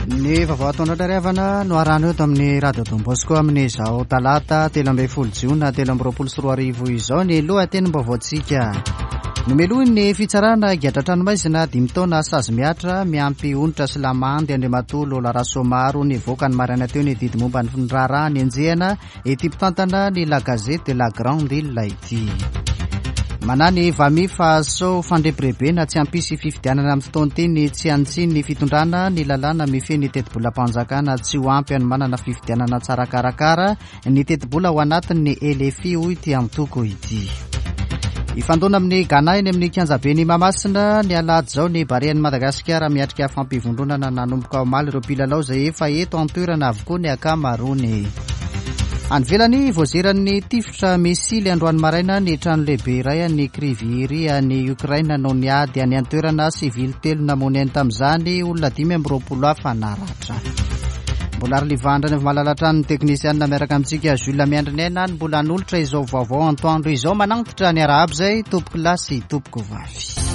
Ny vaovao ataonao ry havana no arahana eto amin'ny Radio Don Bosco amin'izao talata 13 jiona 2023 izao ny lohatenim-baovaontsika. Nomelohin'ny fitsarana higadra an-tranomaizina dimy taona sazy mihatra miampy onitra sy lamandy Andriamatoa Lola Rasoamaro nivoaka ny maraina teo ny didy momba ny raharaha nenjehana Ity mpitantana ny La Gazette de la Grande Ile ity. Manahy ny Vami fa sao fandrebirebena tsy hampisy fifidianana amin'ny fotoana ity ny tsy hanitsian'ny fitondrana ny lalàna mifehy ny tetibolam-panjakana tsy ho ampy hanomanana fifidianana tsara karakara ny tetibola ao anatin'ny LFI hoy ity antoko ity. Hifandona amin'ny Ghana eny amin'ny kianjaben'i Mahamasina ny alahady izao ny Barean'i Madagasikara miatrika fampivondronana nanomboka omaly ireo mpilalao izay efa eto an-toerana avokoa ny ankamaroany. Any ivelany, voazeran'ny tifitra misily androany maraina ny trano lehibe iray any Kryvyi any Ukraine noho ny ady any an-toerana, sivily telo namoy ainy tamin'izany, olona 25 hafa naratra. Mbola ary Livandra ny avy malala hatrany ny teknisianina miaraka amintsika Jules Miandrinaina ny mbola hanolotra izao vaovao antoandro izao manantitra ny arahaba izay tompoko lahy sy tompoko vavy.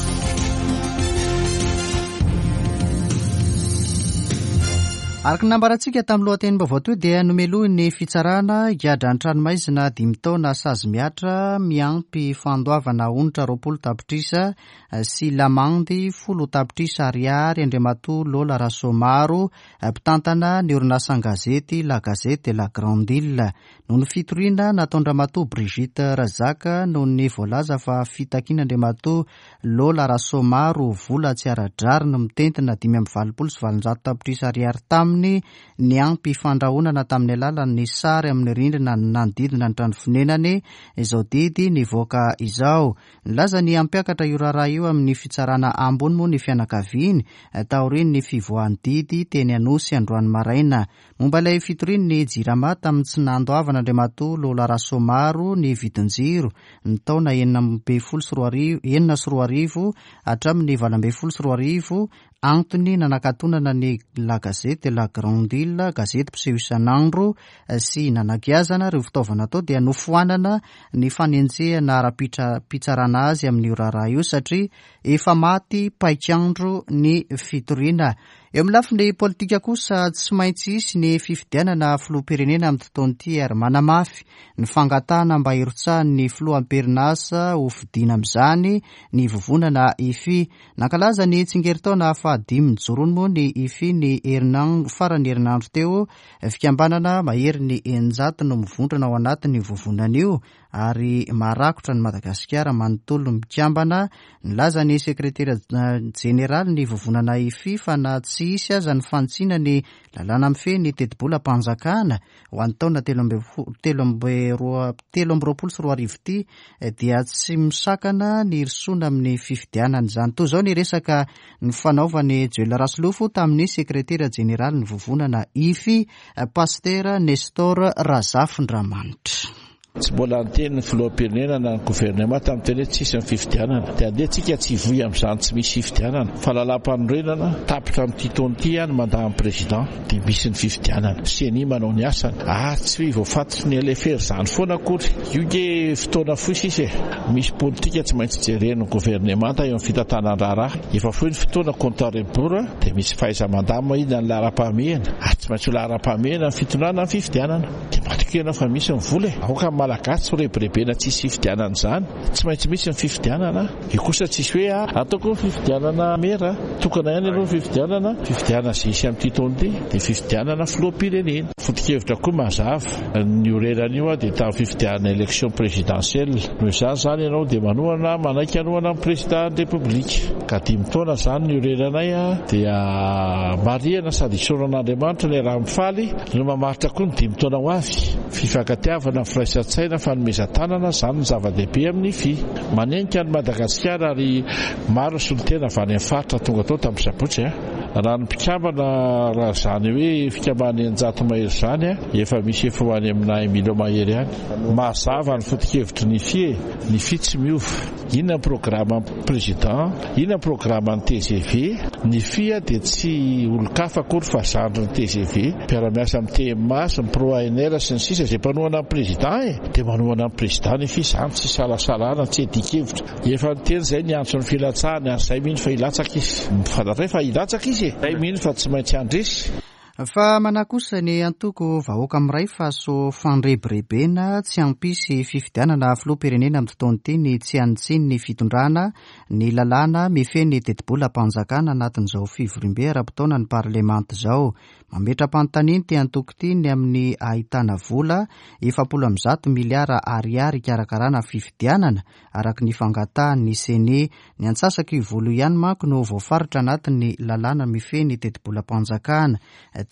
Araka ny nambarantsika tamin'ny lohatenim-baovao teo dia nomelohin'ny fitsarana higadra an-tranomaizina dimy taona sazy mihatra miampy fandoavana onitra 20 tapitrisa sy lamandy folo tapitrisa ariary Andriamatoa Lola Rasoamaro, mpitantana ny orinasan-gazety La Gazette de la Grande Ile. Noho ny fitoriana nataon-dRamatoa Brigitte Razaka noho ny voalaza fa fitakian'Andriamatoa Lola Rasoamaro vola tsy ara-drariny mitentina 885 tapitrisa ariary taminy niampy fandrahonana tamin'ny alalan'ny sary amin'ny rindrina nanodidina ny trano fonenany izao didy nivoaka izao. Nilaza ny hampiakatra io raharaha io amin'ny fitsarana ambony moa ny fianakaviany taorian'ny fivoahan'ny didy teny Anosy androany maraina. Momba ilay fitorian'ny Jirama tamin'ny tsy nandoavana Andriamatoa Lola Rasoamaro ny vidin-jiro ny taona 2016 2006 hatramin'ny 2018, antony nanakatonana ny La Gazette de la Grande Ile, gazety mpiseho isan'andro, sy nanagiazana ireo fitaovana tao dia nofoanana ny fanenjehana ara-pitsarana azy amin'io raharaha io satria efa maty paik'andro ny fitoriana. Eo amin'ny lafiny politika kosa, tsy maintsy hisy ny fifidianana filoham-pirenena amin'ity taona ity ary manamafy ny fangatahana mba hirotsahan'ny filoha am-perinasa ho fidiana amin'izany ny vovonana IFI. Nankalaza ny tsingerin-taona fahadimy nijoroany moa ny IFI ny herinandro faran'ny herinandro teo. Fikambanana maherin'ny 600 no mivondrona ao anatin'io vovonana io ary maharakotra an'i Madagasikara manontolo mikambana. Nilaza ny sekretera jeneraly ny vovonana IFI fa na tsy hisy aza ny fanitsiana ny lalàna mifehy ny tetibolam-panjakana ho an'ny taona 2023 ity dia tsy misakana ny hirosoana amin'ny fifidianana izany. Toy izao ny resaka nifanaovan'i Joel Rasolofo tamin'ny sekretera jeneralin'ny vovonana IFI, Pasitera Nestor Razafindramanitra. Tsy mbola niteny ny filoham-pirenena na ny governemanta amin'ny teny hoe tsy hisy ny fifidianana. Dia andeha tsika tsy hivoy amin'izany tsy misy fifidianana. Fa lalàmpanorenana, tapitra amin'ity taona ity ny mandat an'ny président, dia misy ny fifidianana. Ceni manao ny asany. Ary tsy hoe voafatotry ny LFR izany foana akory. Io nge fotoana fohy sisa e. Misy politika tsy maintsy jeren'ny governemanta eo amin'ny fitantanan-draharaha. Efa fohy ny fotoana, compte à rebours, dia misy fahaiza-mandamina inona ny laharam-pahamehana. Ary tsy maintsy ho laharam-pahamehana ny fitondrana ny fifidianana. Dia matokia ianao fa misy ny vola e! Aoka ny Malagasy tsy ho rebirebena tsy hisy fifidianana izany. Tsy maintsy misy ny fifidianana. Io kosa tsisy hoe a! Ataoko ny fifidianana mera. Tokana ihany aloha ny fifidianana. Fifidianana izay hisy amin'ity taona ity dia fifidianana filoham-pirenena. Foto-kevitra koa mazava. Ny oreran'io dia tamin'ny fifidianana élection présidentielle. Noho izany izany ianao dia manohana, manaiky hanohana ny président ny Repoblika. Ka dimy taona izany ny oreranay dia marihana sady isaorana an'Andriamanitra ny iaraha-mifaly. No mamaritra koa ny dimy taona ho avy. Fifankatiavana, firaisan-tsaina, fanomezan-tanana, izany no zava-dehibe amin'ny fi. Manenika an'i Madagasikara ary maro ny solontena avy any amin'ny faritra tonga tao tamin'ny sabotsy. Raha ny mpikambana, raha izany hoe fikambanana 600 mahery izany, efa misy efa ho any amina un million mahery any. Mazava ny foto-kevitry ny fi e! Ny fi tsy miova. Inona ny programan'ny président? Inona ny programan'ny tgv? Ny fia dia tsy olon-kafa akory fa zandrin'ny tgv, mpiara-miasa amin'ny TMA sy ny pro ANR sy ny sisa izay mpanohana ny président e! Dia manohana ny président ny fia, izany tsy isalasalana, tsy iadian-kevitra. Efa niteny izay niantso ny filatsahany ary izay mino fa hilatsaka izy. Fantatray fa hilatsaka izy e! izy e! Zay mino fa tsy maintsy handresy. Fa manahy kosa ny antoko Vahoaka Miray fa sao fandrebirebena tsy hampisy fifidianana filoham-pirenena amin'ity taona ity ny tsy hanitsian'ny fitondrana ny lalàna mifehy ny tetibolam-panjakana anatin'izao fivoriambe ara-potoanan'ny parlemanta izao. Mametra-panontaniana ity antoko ity ny amin'ny ahitana vola 140 miliara ariary hikarakarana fifidianana araka ny fangatahan'ny Ceni. Ny antsasak'io vola io ihany manko no voafaritra anatin'ny lalàna mifehy ny tetibolam-panjakana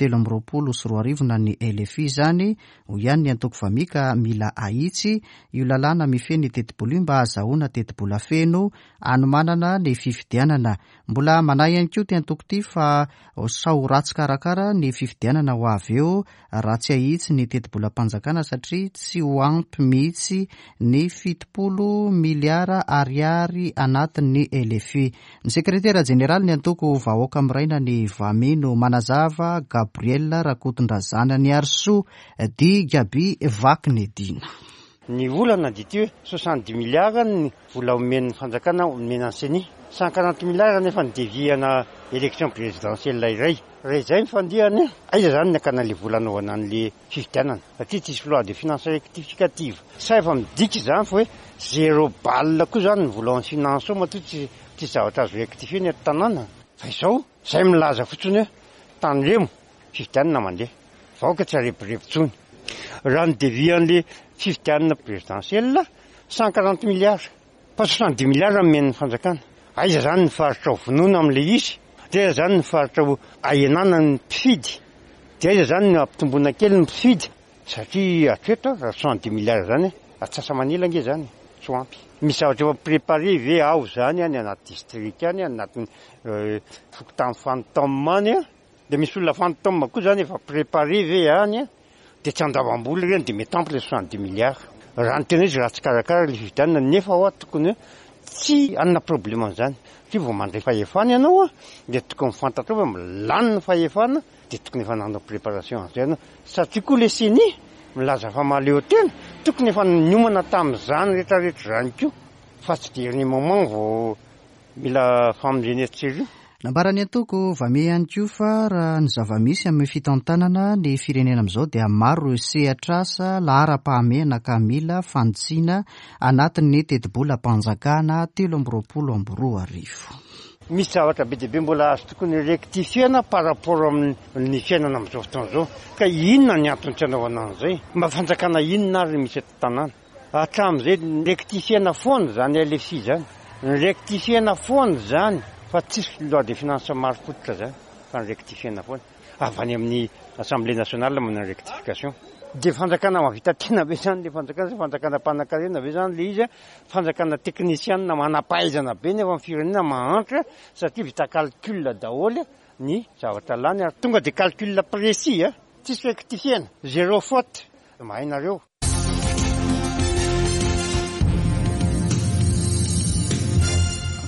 2023 na ny LFI izany, hoy ihany ny antoko Vami ka mila ahitsy io lalàna mifehy ny tetibola io mba hahazahoana tetibola feno hanomanana ny fifidianana. Mbola manahy ihany koa ity antoko ity fa sao ho ratsy karakara ny fifidianana ho avy eo raha tsy ahitsy ny tetibolam-panjakana satria tsy ho ampy mihitsy ny 70 miliara ariary anatin'ny LFI. Ny sekretera jeneralin'ny antoko Vahoaka Miraina ny Vami no manazava, Gabriel Rakotondrazananiarisoa dit Gaby Vakinedina. Ny olana dia ity hoe 70 milliards ny vola omen'ny fanjakana omena ny ceni. 140 milliards nefa ny devis ana élection présidentielle iray. Raha izay ny fandihany, aiza izany ny hakana ilay vola hanaovana an'ilay fifidianana? Satria tsisy loi de finances rectificative. Sa efa midika izany fa hoe zéro balle koa izany ny vola ao amin'ny finance ao matoa tsy tsisy zavatra azo rectifier ny eto tanàna? Fa izao, izay milaza fotsiny hoe tandremo, fifidianana mandeha. Vahoaka tsy harebireby intsony. Raha ny devis an'ilay fifidianana présidentielle, 140 milliards. Fa 70 milliards nomen'ny fanjakana. Aiza izany ny faritra ho vonoina amin'ilay izy? Dia aiza izany ny faritra ho ahenana ny mpifidy? Dia aiza izany ny hampitomboana kely ny mpifidy? Satria hatreto raha 70 milliards izany, atsasa-manila ange izany, tsy ho ampy. Misy zavatra efa préparé ve ao izany any anaty district any, any anatin'ny fokontany fantôme any? Dia misy olona fantôme koa izany efa préparé ve any? Dia tsy andavam-bola ireny dia mety ampy ilay 70 milliards. Raha ny tena izy ratsy karakara ilay fifidianana nefa hoa tokony hoe tsy hanana problème an'izany. Satria vao mandray fahefana ianao dia tokony fantatrao fa lany ny fahefana dia tokony efa nanao préparation an'izay ianao. Satria koa ilay ceni milaza fa mahaleo tena, tokony efa niomana tamin'izany rehetrarehetra izany koa fa tsy dernier moment vao Mila famonjena etsy sy eroa. Nambaran'ny antoko Vame ihany koa fa raha ny zava-misy amin'ny fitantanana ny firenena amin'izao dia maro ireo sehatr'asa laharam-pahamehana ka mila fanitsiana anatin'ny tetibolam-panjakana 2023. Misy zavatra be dia be mbola azo tokony rectifier-na par rapport amin'ny fiainana amin'izao fotoana izao. Ka inona ny antony tsy anaovana an'izay? Mba fanjakana inona ary no misy eto an-tanàna? Hatramin'izay ni-rectifier-na foana izany LFI izany. Ni-rectifier-na foana izany fa tsisy loi de finances marim-pototra izany fa ni-rectifier-na foana. Avy any amin'ny Assemblée nationale manao rectification. Dia fanjakana mahavita tena ve izany ilay fanjakana sa fanjakana mpanankarena ve izany ilay izy? Fanjakana teknisianina manam-pahaizana be nefa ny firenena mahantra satria vita calcul daholo ny zavatra lany ary tonga dia calcul précis a! Tsisy rectifier-na, zéro faute, mahay nareo.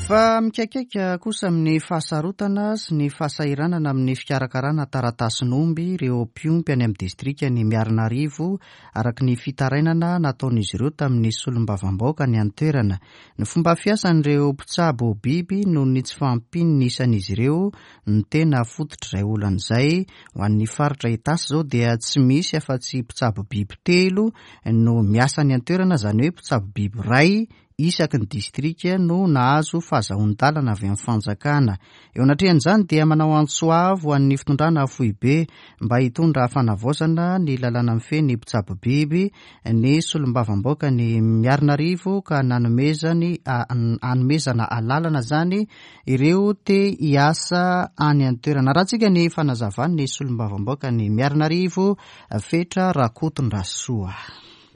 Fa mikaikaika kosa amin'ny fahasarotana sy ny fahasahiranana amin'ny fikarakarana taratasin'omby ireo mpiompy any amin'ny distrikan'i Miarinarivo, araka ny fitarainana nataon'izy ireo tamin'ny solombavambahoaka any an-toerana. Ny fomba fiasan'ireo mpitsabo biby noho ny tsy fahampian'ny isan'izy ireo no tena fototr'izay olana izay. Ho an'ny faritra Itasy izao dia tsy misy afa-tsy mpitsabo biby telo no miasa any an-toerana, izany hoe mpitsabo biby iray isaky ny distrika no nahazo fahazahoan-dalana avy amin'ny fanjakana. Eo anatrehan'izany dia manao antso avo ho an'ny fitondrana foibe mba hitondra fanavaozana ny lalàna mifehy ny mpitsabo biby ny solombavambaoka ny Miarinarivo ka nanomezany hanomezana alalana izany ireo te hiasa any an-toerana. Arahantsika ny fanazavan'ny solombavambaokan'i Miarinarivo, Fetra Rakotondrasoa.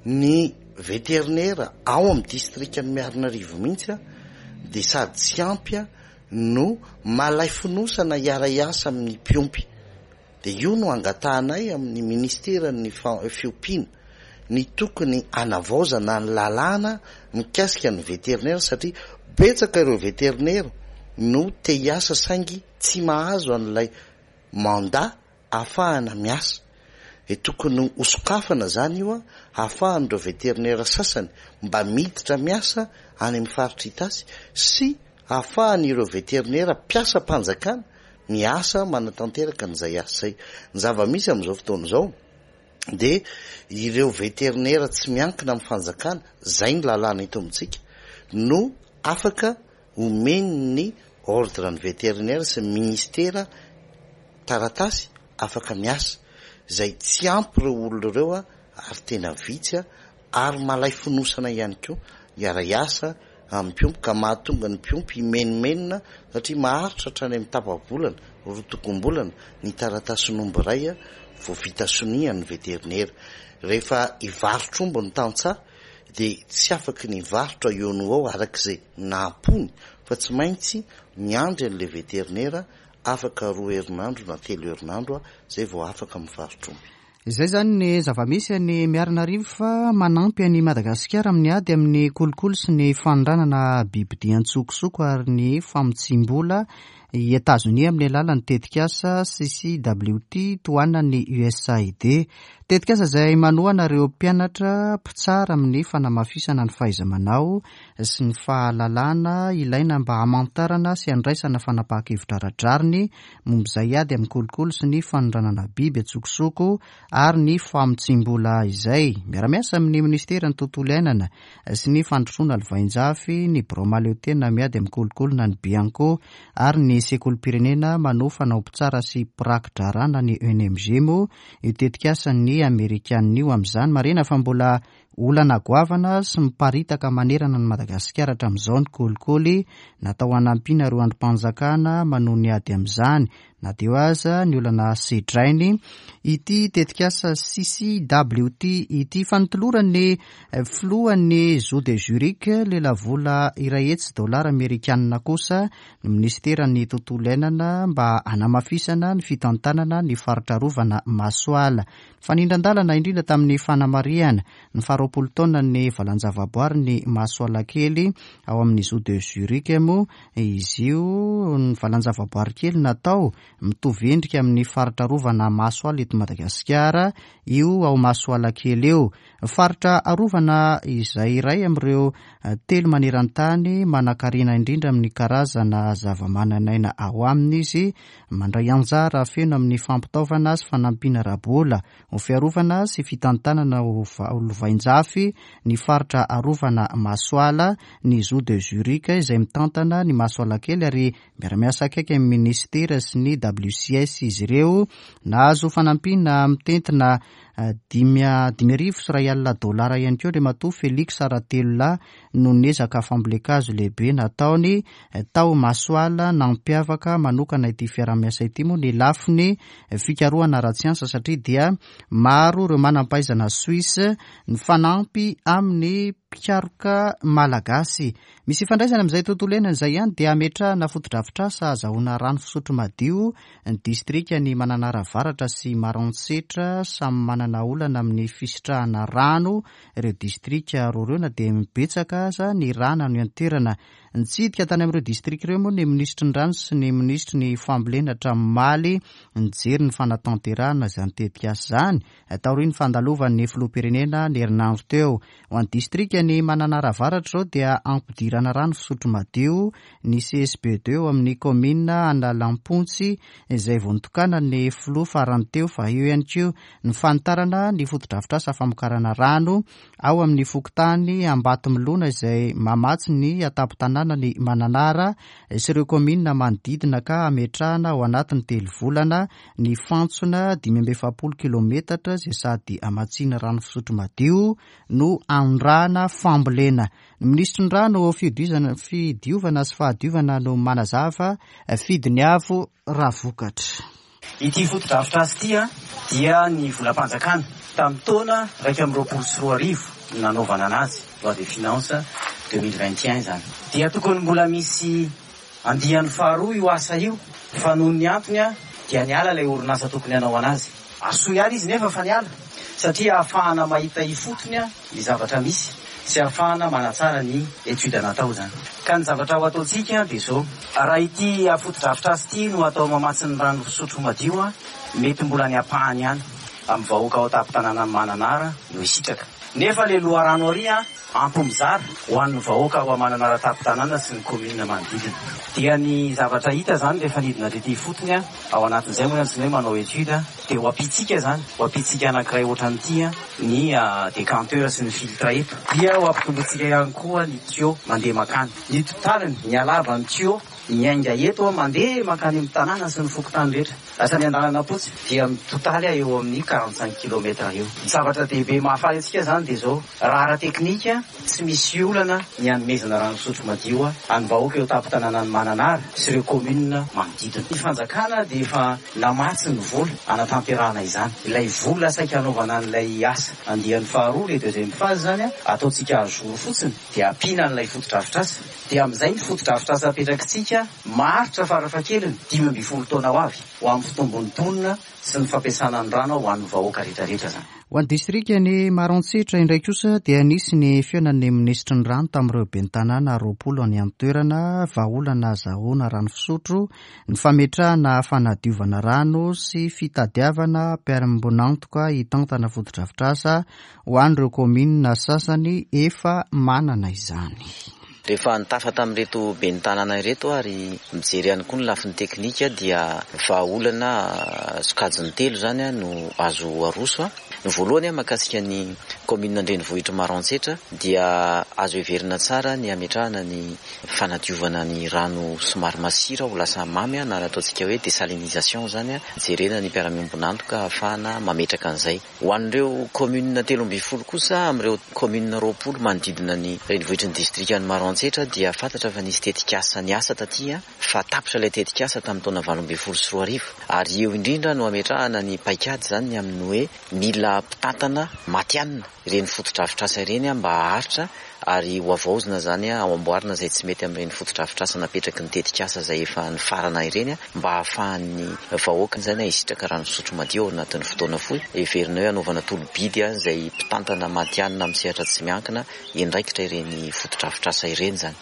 Ny veterinera ao amin'ny distrikan'i Miarinarivo mihitsy dia sady tsy ampy no malay fonosana hiara-hiasa amin'ny mpiompy. Dia io no angatahanay amin'ny ministeran'ny fiompiana ny tokony hanavaozana ny lalàna mikasika ny veterinera satria betsaka ireo veterinera no te hiasa saingy tsy mahazo an'ilay mandat ahafahana miasa. Dia tokony hosokafana izany io ahafahan'ireo veterinera sasany mba miditra miasa any amin'ny faritra Itasy sy ahafahan'ireo veterinera mpiasam-panjakana. miasa manatanteraka an'izay asa izay. Ny zava-misy amin'izao fotoana izao dia ireo veterinera tsy miankina amin'ny fanjakana, izay ny lalàna eto amintsika, no afaka omen'ny ordre ny vétérinaire sy ny ministera taratasy afaka miasa, izay tsy ampy ireo olona ireo ary tena vitsy ary malay fonosana ihany koa hiara-hiasa amin'ny mpiompy ka mahatonga ny mpiompy himenomenona satria maharitra hatrany amin'ny tapa-bolana, rotokom-bolana ny taratasin'omby iray vao vita sonia ny veterinera. Rehefa hivarotr'omby ny tantsaha dia tsy afaky ny hivarotra eo no ho eo araka izay nahampony fa tsy maintsy miandry an'ilay veterinera afaka roa herinandro na telo herinandro izay vao afaka mivarotr'omby. Izay izany ny zava-misy any Miarinarivo fa manampy an'i Madagasikara amin'ny ady amin'ny kolikoly sy ny fanondranana bibidia an-tsokosoko ary ny famotsiam-bola i Etazonia amin'ny alalan'ny tetikasa CCWT tohanan'ny USAID. Tetikasa izay manohana ireo mpianatra mpitsara amin'ny fanamafisana ny fahaiza-manao sy ny fahalalana ilaina mba hamantarana sy handraisana fanapahan-kevitra ara-drariny momba izay ady amin'ny kolikoly sy ny fanondranana biby an-tsokosoko ary ny famotsiam-bola izay. Miara-miasa amin'ny minisiteran'ny Tontolo iainana sy ny Fandrosoana Lovainjafy, ny Birao Mahaleotena miady amin'ny kolikoly na ny Bianco ary ny Sekolim-pirenena manofana ho mpitsara sy mpiraki-draharaha na ny ENMG moa io tetikasan'ny Amerikanina io amin'izany. Marihina fa mbola Olana goavana sy miparitaka manerana an'i Madagasikara hatramin'izao ny kolikoly, natao hanampiana ireo andrim-panjakana manohy ny ady amin'izany, na dia eo aza ny olana sedrainy ity tetikasa CCWT ity. Fa notoloran'ny filohan'ny Zoo de Zurich lelavola 100 dolara amerikanina kosa ny minisiteran'ny tontolo iainana mba hanamafisana ny fitantanana ny faritra arovana Masoala. Fanindran-dalana indrindra tamin'ny fanamarihana ny faharoapolo taonan'ny valan-javaboarin'i Masoalakely ao amin'ny Zoo de Zurich moa izy io. Ny valan-javaboary kely natao mitovy endrika amin'ny faritra arovana Masoala eto Madagasikara io ao Masoalakely io. Faritra arovana izay iray amin'ireo telo maneran-tany manankarena indrindra amin'ny karazana zavamananaina ao aminy izy. Mandray anjara feno amin'ny fampitaovana sy fanampiana ara-bola ho fiarovana sy fitantanana ho lovainjafy ny faritra arovana Masoala ny Zoo de Zurich izay mitantana ny Masoalakely ary miara-miasa akaiky amin'ny minisitera sy ny WCS izy ireo. Nahazo fanampiana mitentina 15 500 dolara ihany koa Andriamatoa Felix Ratelolahy noho ny ezaka fambolen-kazo lehibe nataony tao Masoala. Nampiavaka manokana ity fiaraha-miasa ity moa ny lafiny fikarohana ara-tsiansa satria dia maro ireo manam-pahaizana Suisse nifanampy amin'ny mpikaroka malagasy. Misy ifandraisany amin'izay tontolo iainana izay ihany dia hametrahana fotodrafitrasa ahazahoana rano fisotro madio ny distrikan'i Mananara Avaratra sy Maroantsetra. Samy manana olana amin'ny fisitrahana rano ireo distrika roa ireo na dia betsaka aza ny rano any an-toerana. Nitsidika tany amin'ireo distrika ireo moa ny minisitry ny rano sy ny minisitry ny fambolena hatramin'ny omaly nijery ny fanatanterahana izany tetikasa izany taorian'ny fandalovan'ny filoham-pirenena ny herinandro teo. Ho an'ny distrikan'i Mananara Avaratra izao dia ampidirana rano fisotro madio ny CSB deux ao amin'ny kaominina Analampontsy izay vao nitokanan'ny filoha farany teo fa eo ihany koa ny fanitarana ny fotodrafitrasa famokarana rano ao amin'ny fokontany Ambatomilona izay mamatsy ny an-tampon-tanànan'i Mananara sy ireo kaominina manodidina ka hametrahana ao anatin'ny telo volana ny fantsona 45 kilometatra izay sady hamatsiana rano fisotro madio no anondrahana fambolena. Ny minisitry ny rano, fidiovana sy fahadiovana no manazava, Fidiniavo Ravokatra. Ity fotodrafitrasa ity dia ny volam-panjakana tamin'ny taona 2021 no nanaovana anazy, loi de finances 2021 izany. Dia tokony mbola misy Andiany faharoa io asa io fa noho ny antony dia niala ilay orinasa tokony hanao anazy. Asoa ihany izy nefa fa niala satria ahafahana mahita ifotony ny zavatra misy sy ahafahana manatsara ny étude natao izany. Ka ny zavatra ho ataontsika dia izao, raha ity fotodrafitrasa ity no atao mamatsy ny rano fisotro madio, mety mbola ny ampahany ihany amin'ny vahoaka ao an-tampon-tanànan'i Mananara no hisitraka. Nefa le loharano ary an, ampy mizara ho an'ny vahoaka ao Mananara tampon-tanàna sy ny commune manodidina. Dia ny zavatra hita zany rehefa nidina tety ifotony an, ao anatin'izay moa zany tsy ny hoe manao étude dia ho ampiantsika zany, ho ampiantsika anankiray ohatran'ity an, ny décanteur sy ny filtre eto. Dia ho ampitombointsika ihany koa ny tuyau mandeha mankany. Ny totaliny, ny halavan'ny tuyau miainga eto an, mandeha mankany amin'ny tanàna sy ny fokontany rehetra. Lasa miandalana fotsy dia mitotaly eo amin'ny 45 kilomètre eo. Ny zavatra dehibe mahafaly antsika izany dia izao, raha ara-teknika tsy misy olana ny hanomezana rano fisotro madio an'ny vahoaka eo tampon-tanànan'i Mananara sy ireo commune manodidina. Ny fanjakana dia efa namatsy ny vola hanatanterahana izany. Ilay vola saika hanaovana an'ilay asa andiany faharoa, le deuxième phase izany, ataontsika à jour fotsiny dia ampiana an'ilay fotodrafitrasa. Dia amin'izay ny fotodrafitrasa apetrakitsika maharitra farafahakeliny 15 taona ho avy ho amin'ny fitombon'ny mponina sy ny fampiasana ny rano ho an'ny vahoaka rehetrarehetra izany. Ho an'ny distrikan'i Maroantsetra indray kosa dia nisy ny fihaonan'ny minisitry ny rano tamin'ireo ben'ny tanàna 20 any an-toerana, vahaolana azahoana rano fisotro, ny fametrahana fanadiovana rano sy fitadiavana mpiara-miombon'antoka hitantana fotodrafitrasa ho an'ireo kaominina sasany efa manana izany. Rehefa nitafa tamin'ireto ben'ny tanàna ireto ary mijery ihany koa ny lafiny teknika dia vahaolana sokajiny telo izany no azo aroso. Ny voalohany mahakasika ny kaominina an-drenivohitr'i Maroantsetra dia azo heverina tsara ny hametrahana ny fanadiovana ny rano somary masira ho lasa mamy na ny ataontsika hoe désalinisation izany, jerena ny mpiara-miombon'antoka ahafahana mametraka an'izay. Ho an'ireo kaominina 13 kosa amin'ireo kaominina 20 manodidina ny renivohitry ny distrikan'i Maroantsetra dia fantatra fa nisy tetikasa niasa taty fa tapitra ilay tetikasa tamin'ny taona 2018 ary eo indrindra no hametrahana ny paikady izany ny amin'ny hoe mila mpitantana matihanina ireny fotodrafitrasa ireny mba haharitra ary ho havaozina izany ao amboarina izay tsy mety amin'ireny fotodrafitrasa napetraky ny tetikasa izay efa nifarana ireny mba hahafahan'ny vahoaka izany hisitraka rano fisotro madio ao anatin'ny fotoana fohy. Heverina hoe hanaovana tolo-bidy izay mpitantana matihanina amin'ny sehatra tsy miankina hiandraikitra ireny fotodrafitrasa ireny izany.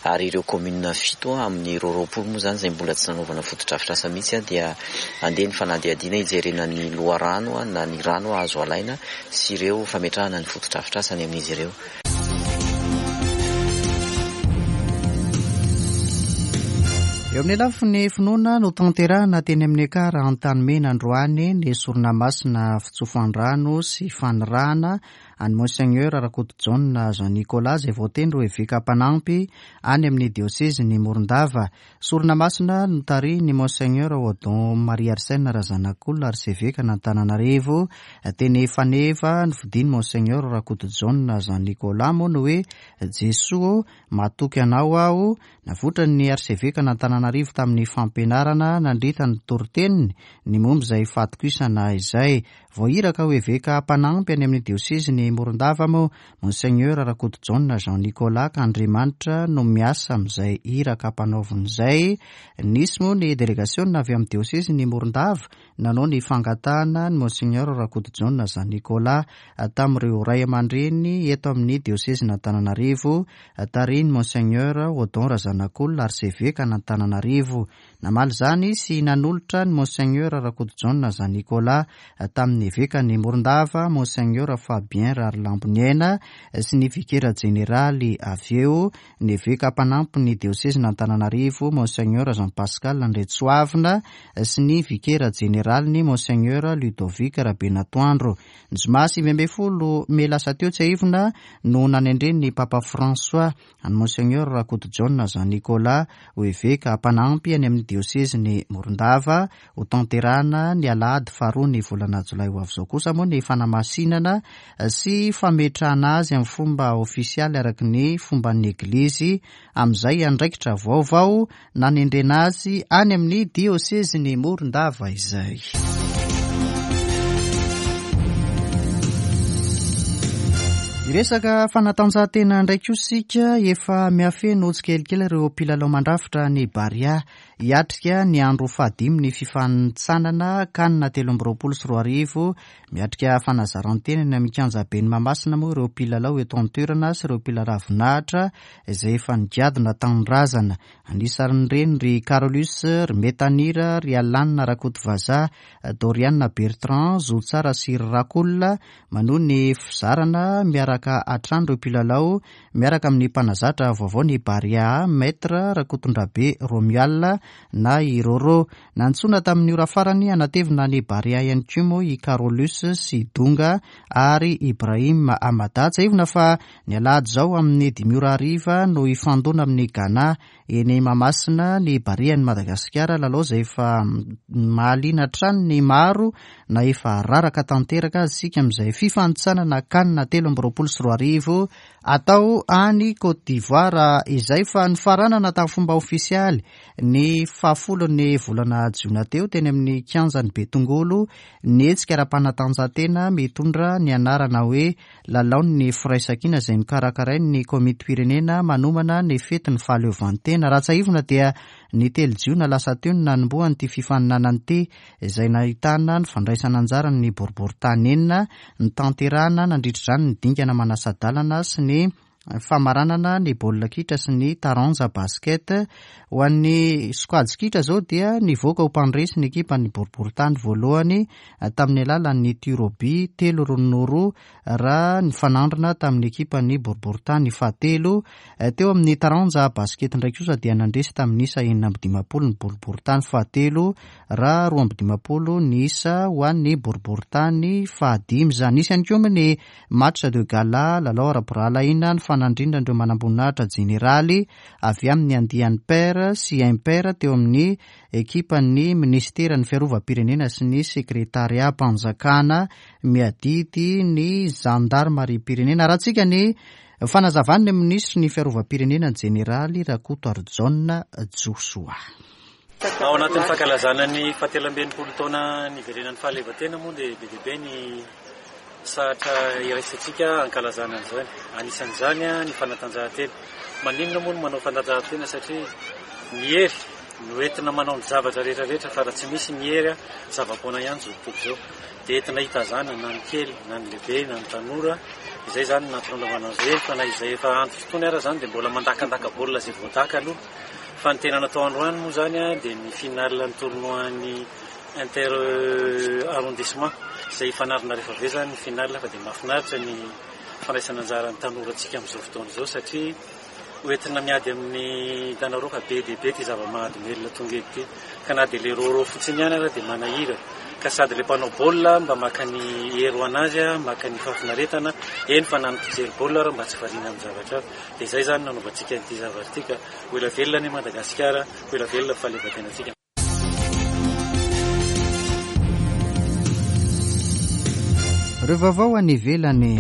Ary ireo kaominina fito amin'ireo 20 moa izany izay mbola tsy nanaovana fotodrafitrasa mihitsy dia handeha ny fanadihadiana hijerena ny loharano na ny rano azo alaina sy ireo fametrahana ny fotodrafitrasa any amin'izy ireo. Eo amin'ny lafiny finoana no tanterahina teny amin'ny Ekar Antanimena androany ny sorona masina fitsofan-drano sy fanirahana an'i Monseigneur Rakotojaona Jean Nicolas izay voatendry ho eveka mpanampy any amin'ny diosezin'i Morondava. Sorona masina notarihin'i Monseigneur Odon Marie Arsène Razanakolona arsevekan'Antananarivo teny Faneva nofidin'i Monseigneur Rakotojaona Jean Nicolas moa ny hoe Jesoa ô, matoky anao aho. Navotran'ny arsevekan'Antananarivo tamin'ny fampianarana nandritra ny toriteniny ny momba izay fatokisana izay. Voahiraka ho eveka mpanampy any amin'ny diosezin'i Morondava moa Monseigneur Rakotojaona Jean Nicolas ka Andriamanitra no miasa amin'izay iraka ampanaoviny izay. Nisy moa ny delegasiona avy amin'ny diosezin'i Morondava nanao ny fangatahana an'i Monseigneur Rakotojaona Jean Nicolas tamin'ireo ray aman-dreny eto amin'ny diosezin'Antananarivo tarihin'i Monseigneur Odon Razanakolona arsevekan'Antananarivo. Namaly izany sy nanolotra an'i Monseigneur Rakotojaona Jean Nicolas tamin'ny evekan'i Morondava, Monseigneur Fabien Raharilamboniaina sy ny vikera jeneraly avy eo, ny eveka mpanampy ny diosezin'Antananarivo, Monseigneur Jean Pascal Andriantsoavina sy ny vikera jeneraliny, Monseigneur Ludovic Rabenatoandro. Ny zoma 19 mey lasa teo, tsiahivina, no nanendren'ny Papa François an'i Monseigneur Rakotojaona Jean Nicolas ho eveka mpanampy any amin'ny diosezin'i Morondava. Ho tanterahana ny alahady faharoa ny volana jolay ho avy izao kosa moa ny fanamasinana sy fametrahana azy amin'ny fomba ofisialy araka ny fomban'ny Eglizy amin'izay andraikitra vaovao nanendrena azy any amin'ny diosezin'i Morondava izay. Hiresaka fanatanjahantena indray kosa isika, efa mihafeno tsikelikely ireo mpilalao mandrafitra ny Barea. Hiatrika ny andro fahadimy ny fifanintsanana Can 2023. Miatrika fanazaran-tena eny amin'ny kianjaben'i Mahamasina moa ireo mpilalao eto an-toerana sy ireo mpilaravinahitra izay efa nigadona tanindrazana. Anisan'ireny ry Carolus, ry Metanira, ry Alan Rakotovazaha, Dorian Bertrand, Zotsara sy ry Rakool. Manohy ny fizarana miaraka hatrany ireo mpilalao miaraka amin'ny mpanazatra vaovao ny Barea, Maître Rakotondrabe Romuald na i Rôrô. Nantsoina tamin'ny ora farany hanatevina ny Barea ihany koa moa i Carolus sy Donga ary Ibrahim Amada. Tsiahivina fa ny alahady izao amin'ny dimy ora hariva no hifandona amin'i Ghana Eny Mahamasina ny Barean'i Madagasikara, lalao izay efa mahaliana hatrany ny maro na efa raraka tanteraka aza isika amin'izay fifanintsanana Can 2023 atao any Côte d'Ivoire izay fa nifaranana tamin'ny fomba ofisialy ny fahafolon'ny volana jiona teo teny amin'ny kianjan'i Betongolo ny hetsika ara-panatanjahantena mitondra ny anarana hoe Lalaon'ny firaisankina izay nokarakarain'ny komitim-pirenena manomana ny fetin'ny fahaleovantena. Raha tsiahivina dia ny telo jiona lasa teo no nanombohan'ity fifaninanana ity izay nahitana ny fandraisana anjaran'ny boriborintany enina, notanterahana nandritra izany ny dingana manasa-dalana sy ny famaranana ny baolina kitra sy ny taranja basket. Ho an'ny sokajy kitra izao dia nivoaka ho mpandresy ny ekipan'ny boriborintany voalohany tamin'ny alalan'ny tir au but telo roa noho roa raha nifanandrina tamin'ny ekipan'ny boriborintany fahatelo. Teo amin'ny taranja basket indray kosa dia nandresy tamin'ny isa 56 ny boriborintany fahatelo raha 52 ny isa ho an'ny boriborintany fahadimy izany. Nisy ihany koa moa ny match de gala, lalao ara-pirahalahiana nifanandrinan'ireo manamboninahitra jeneraly avy amin'ny andiany pair sy impair teo amin'ny ekipan'ny minisiteran'ny Fiarovam-pirenena sy ny sekretariam-panjakana miadidy ny zandarimariam-pirenena. Arahantsika ny fanazavan'ny minisitry ny Fiarovam-pirenena ny jeneraly Rakotoarijaona Josoa. Ao anatin'ny fankalazana ny fahatelo amby 60 taona niverenan'ny fahaleovantena moa dia be dia be ny sahatra iraisantsika hankalazana an'izany. Anisan'izany ny fanatanjahantena. Maninona moa no manao fanatanjahantena satria ny hery no entina manao ny zavatra rehetra rehetra fa raha tsy misy ny hery zava-poana ihany izao tontolo izao. Dia entina hitazana na ny kely na ny lehibe na ny tanora. Izay izany no nahatongavana an'izay fa na izay efa antitra itony ara izany dia mbola mandakandaka baolina izay voadaka aloha. Fa ny tena natao androany moa izany dia ny finale ny tournoi ny inter arrondissement izay hifanarina rehefa avy eo izany ny finale fa dia mahafinaritra ny fandraisana anjara ny tanorantsika amin'izao fotoana izao satria ho entina miady amin'ny hitanareo fa be dia be ity zava-mahadomelina tonga eto ity ka na dia le rôrô fotsiny ihany ara dia manahirana ka sady le mpanao baolina mba maka ny hery ho an'azy maka ny fahafinaretana eny fa na ny mpijery baolina ara mba tsy variana amin'ny zavatra hafa dia izay izany nanaovantsika an'ity zavatra ity ka ho ela velona anie Madagasikara ho ela velona ny fahaleovantenantsika. Ireo vaovao any ivelany.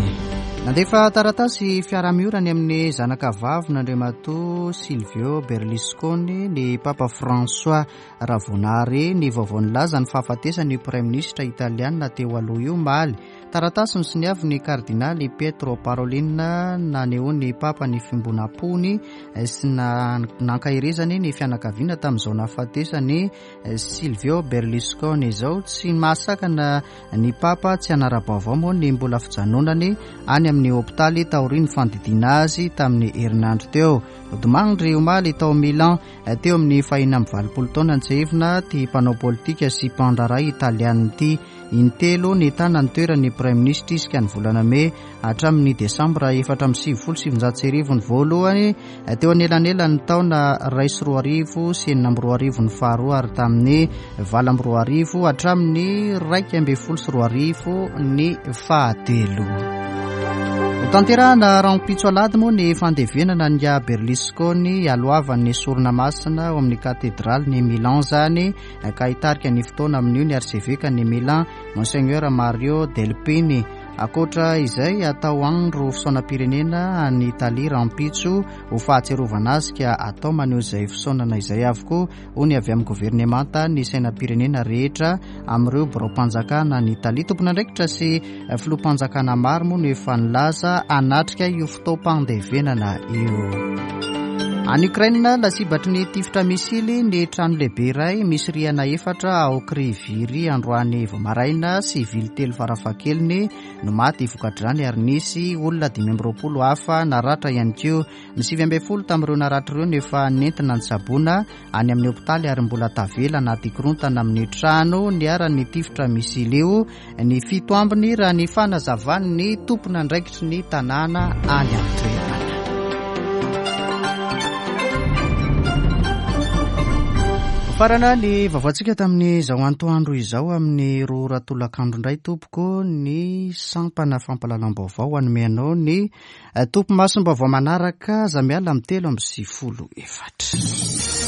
Nandefa taratasy fiarahamiora any amin'ny zanaka vavin'Andriamatoa Silvio Berlusconi ny Papa François raha vao nahare ny vaovao nilaza ny fahafatesan'io praiminisitra italiana teo aloha io omaly. Taratasy nosoniavin'ny kardinaly Pietro Parolin nanehoan'ny Papa ny fiombonam-pony sy nankaherezany ny fianakaviana tamin'izao nahafatesan'i Silvio Berlusconi izao. Tsy mahasakana ny Papa tsy hanara-baovao moa ny mbola fijanonany any amin'ny hopitaly taorian'ny fandidiana azy tamin'ny herinandro teo. Nodimandry omaly tao Milan teo amin'ny fahena amby 80 taona nitsehivina ity mpanao politika sy mpandraharaha italiana ity. Intelo nitana ny toeran'ny Praiminisitra izy ka ny volana mey hatramin'ny desambra 1994 ny voalohany, teo anelanelan'ny taona 2001 sy 2006 ny faharoa ary tamin'ny 2008 hatramin'ny 2011 ny fahatelo. Hotanterahana rahampitso alahady moa ny fandevenana an'i Berlusconi hialohavan'ny sorona masina ao amin'ny katedralin'i Milan izany. ka hitarika ny fotoana amin'io ny arsevekan'i Milan, Monseigneur Mario Delpini. Ankoatra izay, hatao andro fisaonam-pirenena any Italia rahampitso ho fahatsiarovana azy ka atao maneho izay fisaonana izay avokoa, hoy ny avy amin'ny governemanta, ny sainam-pirenena rehetra amin'ireo biraom-panjakana any Italia. Tompon'andraikitra sy filoham-panjakana maro moa no efa nilaza hanatrika io fotoam-pandevenana io. Any Ukraine, lasibatry ny tifitra misily ny trano lehibe iray misy rihana efatra ao Kryvyi androany vao maraina. Sivily telo farafahakeliny no maty vokatr'izany ary nisy olona 25 hafa naratra ihany koa. Ny 19 tamin'ireo naratra ireo no efa nentina nitsaboana any amin'ny hopitaly ary mbola tavela anaty korontana amin'ny trano niharan'ny tifitra misily io ny fito ambiny raha ny fanazavan'ny tompon'andraikitry ny tanàna any an-toerana. Farana ny vaovaontsika tamin'izao antoandro izao amin'ny roa ora tolakandro indray tompoko ny sampana fampahalalam-baovao hanome anao ny Topimasom-baovao manaraka aza miala amin'ny 93.